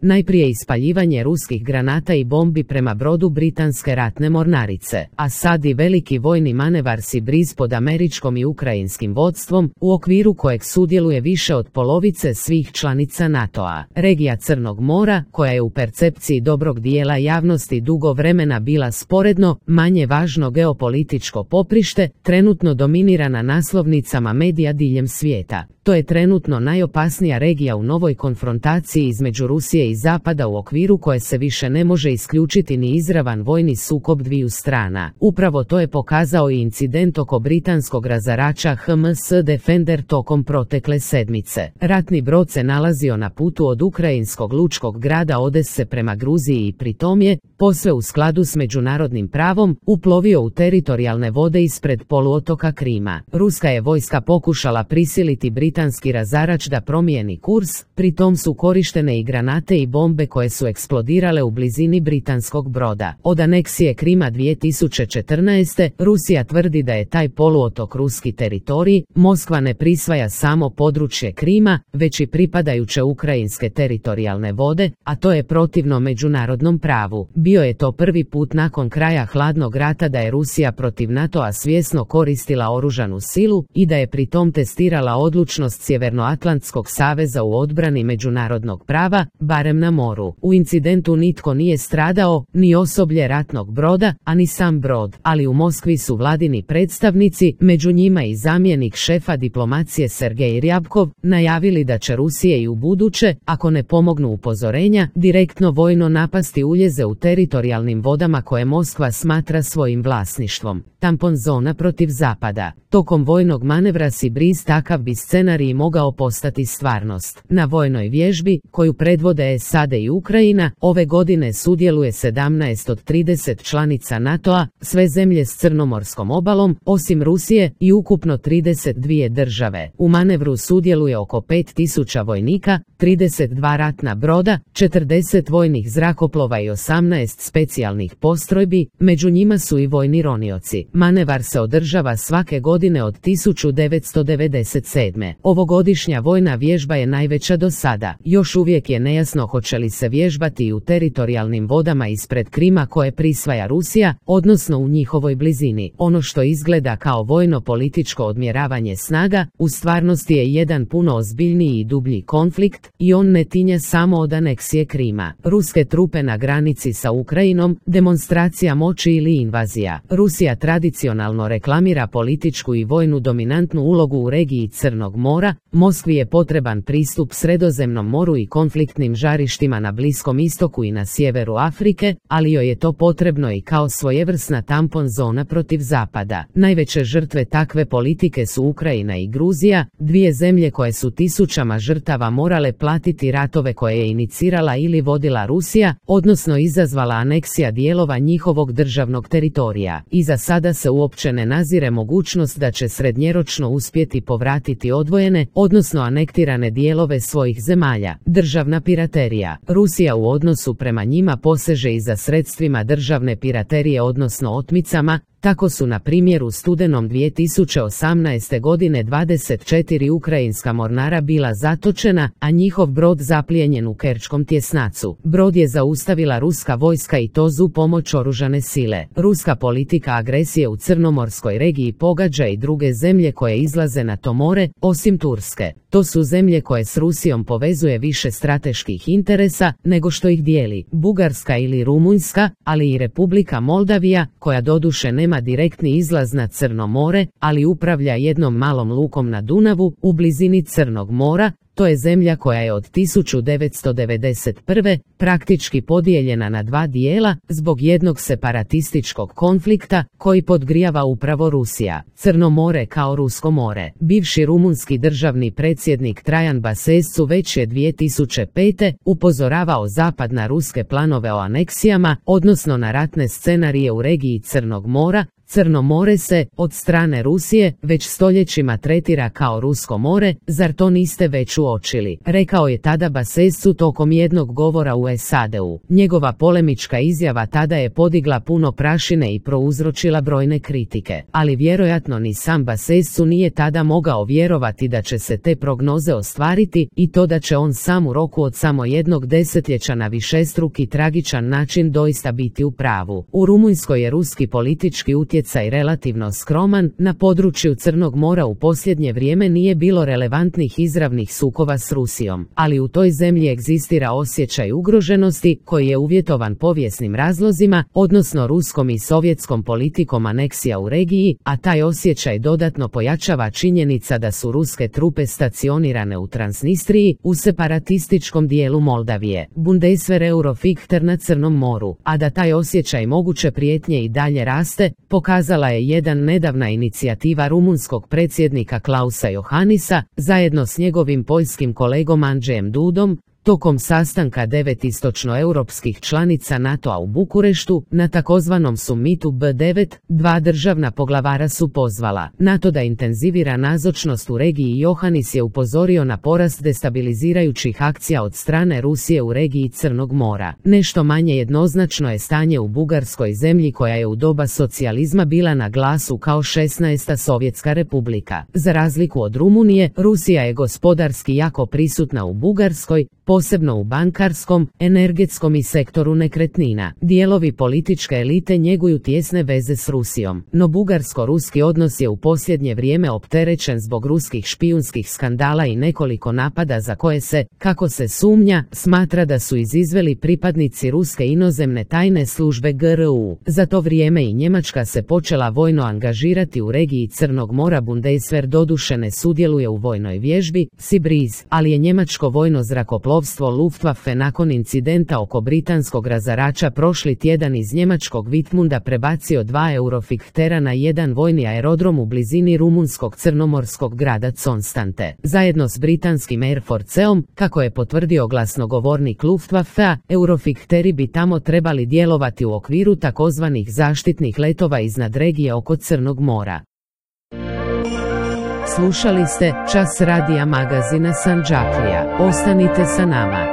Najprije ispaljivanje ruskih granata i bombi prema brodu britanske ratne mornarice, a sad i veliki vojni manevar Sea Breeze pod američkom i ukrajinskim vodstvom, u okviru kojeg sudjeluje više od polovice svih članica NATO-a. Regija Crnog mora, koja je u percepciji dobrog dijela javnosti dugo vremena bila sporedno, manje važno geopolitičko poprište, trenutno dominira na naslovnicama medija diljem svijeta. To je trenutno najopasnija regija u novoj konfrontaciji između Rusije i Zapada, u okviru koje se više ne može isključiti ni izravan vojni sukob dviju strana. Upravo to je pokazao i incident oko britanskog razarača HMS Defender tokom protekle sedmice. Ratni brod se nalazio na putu od ukrajinskog lučkog grada Odese prema Gruziji i pritom je, posve u skladu s međunarodnim pravom, uplovio u teritorijalne vode ispred poluotoka Krima. Ruska je vojska pokušala prisiliti britanski razarač da promijeni kurs, pritom su korištene i granate i bombe koje su eksplodirale u blizini britanskog broda. Od aneksije Krima 2014. Rusija tvrdi da je taj poluotok ruski teritorij. Moskva ne prisvaja samo područje Krima, već i pripadajuće ukrajinske teritorijalne vode, a to je protivno međunarodnom pravu. Bio je to prvi put nakon kraja hladnog rata da je Rusija protiv NATO-a svjesno koristila oružanu silu i da je pritom testirala odlučnost Sjevernoatlantskog saveza u odbrani međunarodnog prava, barem na moru. U incidentu nitko nije stradao, ni osoblje ratnog broda, a ni sam brod, ali u Moskvi su vladini predstavnici, među njima i zamjenik šefa diplomacije Sergej Ryabkov, najavili da će Rusije i ubuduće, ako ne pomognu upozorenja, direktno vojno napasti uljeze u teritorijalnim vodama koje Moskva smatra svojim vlasništvom. Tampon zona protiv Zapada. Tokom vojnog manevra Sea Breeze takav bi scenarij mogao postati stvarnost. Na vojnoj vježbi, koju predvode SAD i Ukrajina, ove godine sudjeluje 17 od 30 članica NATO-a, sve zemlje s crnomorskom obalom, osim Rusije, i ukupno 32 države. U manevru sudjeluje oko 5000 vojnika, 32 ratna broda, 40 vojnih zrakoplova i 18 specijalnih postrojbi, među njima su i vojni ronioci. Manevar se održava svake godine od 1997. Ovogodišnja vojna vježba je najveća do sada. Još uvijek je nejasno hoće li se vježbati i u teritorijalnim vodama ispred Krima koje prisvaja Rusija, odnosno u njihovoj blizini. Ono što izgleda kao vojno-političko odmjeravanje snaga, u stvarnosti je jedan puno ozbiljniji i dublji konflikt, i on ne tinja samo od aneksije Krima. Ruske trupe na granici sa Ukrajinom, demonstracija moći ili invazija. Rusija tradicionalno reklamira političku i vojnu dominantnu ulogu u regiji Crnog mora. Moskvi je potreban pristup Sredozemnom moru i konfliktnim žarištima na Bliskom istoku i na sjeveru Afrike, ali joj je to potrebno i kao svojevrsna tampon zona protiv Zapada. Najveće žrtve takve politike su Ukrajina i Gruzija, dvije zemlje koje su tisućama žrtava morale platiti ratove koje je inicirala ili vodila Rusija, odnosno izazvala aneksija dijelova njihovog državnog teritorija. I za sada se uopće ne nazire mogućnost da će srednjeročno uspjeti povratiti odvojene, odnosno anektirane dijelove svojih zemalja. Državna piraterija. Rusija u odnosu prema njima poseže i za sredstvima državne piraterije, odnosno otmicama. Tako su na primjer u studenom 2018. godine 24 ukrajinska mornara bila zatočena, a njihov brod zaplijenjen u Kerčkom tjesnacu. Brod je zaustavila ruska vojska i to uz pomoć oružane sile. Ruska politika agresije u Crnomorskoj regiji pogađa i druge zemlje koje izlaze na to more, osim Turske. To su zemlje koje s Rusijom povezuje više strateških interesa nego što ih dijeli. Bugarska ili Rumunjska, ali i Republika Moldavija, koja doduše nema direktni izlaz na Crno more, ali upravlja jednom malom lukom na Dunavu, u blizini Crnog mora. To je zemlja koja je od 1991. praktički podijeljena na dva dijela zbog jednog separatističkog konflikta koji podgrijava upravo Rusija. Crno more kao Rusko more. Bivši rumunski državni predsjednik Trajan Basescu već je 2005. upozoravao Zapad na ruske planove o aneksijama, odnosno na ratne scenarije u regiji Crnog mora. Crno more se, od strane Rusije, već stoljećima tretira kao Rusko more, zar to niste već uočili, rekao je tada Basescu tokom jednog govora u SAD-u. Njegova polemička izjava tada je podigla puno prašine i prouzročila brojne kritike, ali vjerojatno ni sam Basescu nije tada mogao vjerovati da će se te prognoze ostvariti i to da će on sam u roku od samo jednog desetljeća na višestruki tragičan način doista biti u pravu. U Rumunjskoj je ruski politički utjecaj relativno skroman, na području Crnog mora u posljednje vrijeme nije bilo relevantnih izravnih sukoba s Rusijom, ali u toj zemlji egzistira osjećaj ugroženosti koji je uvjetovan povijesnim razlozima, odnosno ruskom i sovjetskom politikom aneksija u regiji, a taj osjećaj dodatno pojačava činjenica da su ruske trupe stacionirane u Transnistriji, u separatističkom dijelu Moldavije, Bundeswehr Eurofighter na Crnom moru, a da taj osjećaj moguće prijetnje i dalje raste, pokazala je jedan nedavna inicijativa rumunskog predsjednika Klausa Johannisa, zajedno s njegovim poljskim kolegom Andrzejem Dudom, tokom sastanka 9 istočnoeuropskih članica NATO-a u Bukureštu, na takozvanom summitu B9, dva državna poglavara su pozvala NATO da intenzivira nazočnost u regiji. Johannis je upozorio na porast destabilizirajućih akcija od strane Rusije u regiji Crnog mora. Nešto manje jednoznačno je stanje u Bugarskoj, zemlji koja je u doba socijalizma bila na glasu kao 16. Sovjetska republika. Za razliku od Rumunije, Rusija je gospodarski jako prisutna u Bugarskoj, posebno u bankarskom, energetskom i sektoru nekretnina. Dijelovi političke elite njeguju tijesne veze s Rusijom, no bugarsko-ruski odnos je u posljednje vrijeme opterećen zbog ruskih špijunskih skandala i nekoliko napada za koje se, kako se sumnja, smatra da su izizveli pripadnici ruske inozemne tajne službe GRU. Za to vrijeme i Njemačka se počela vojno angažirati u regiji Crnog mora. Bundeswehr doduše ne sudjeluje u vojnoj vježbi Sea Breeze, ali je njemačko vojno zrakoplovstvo Luftwaffe nakon incidenta oko britanskog razarača prošli tjedan iz njemačkog Wittmunda prebacio 2 Eurofichtera na jedan vojni aerodrom u blizini rumunskog crnomorskog grada Constante. Zajedno s britanskim Air Forceom, kako je potvrdio glasnogovornik Luftwaffea, Eurofichteri bi tamo trebali djelovati u okviru takozvanih zaštitnih letova iznad regije oko Crnog mora. Slušali ste Čas radija magazina Sandžaklija. Ostanite sa nama.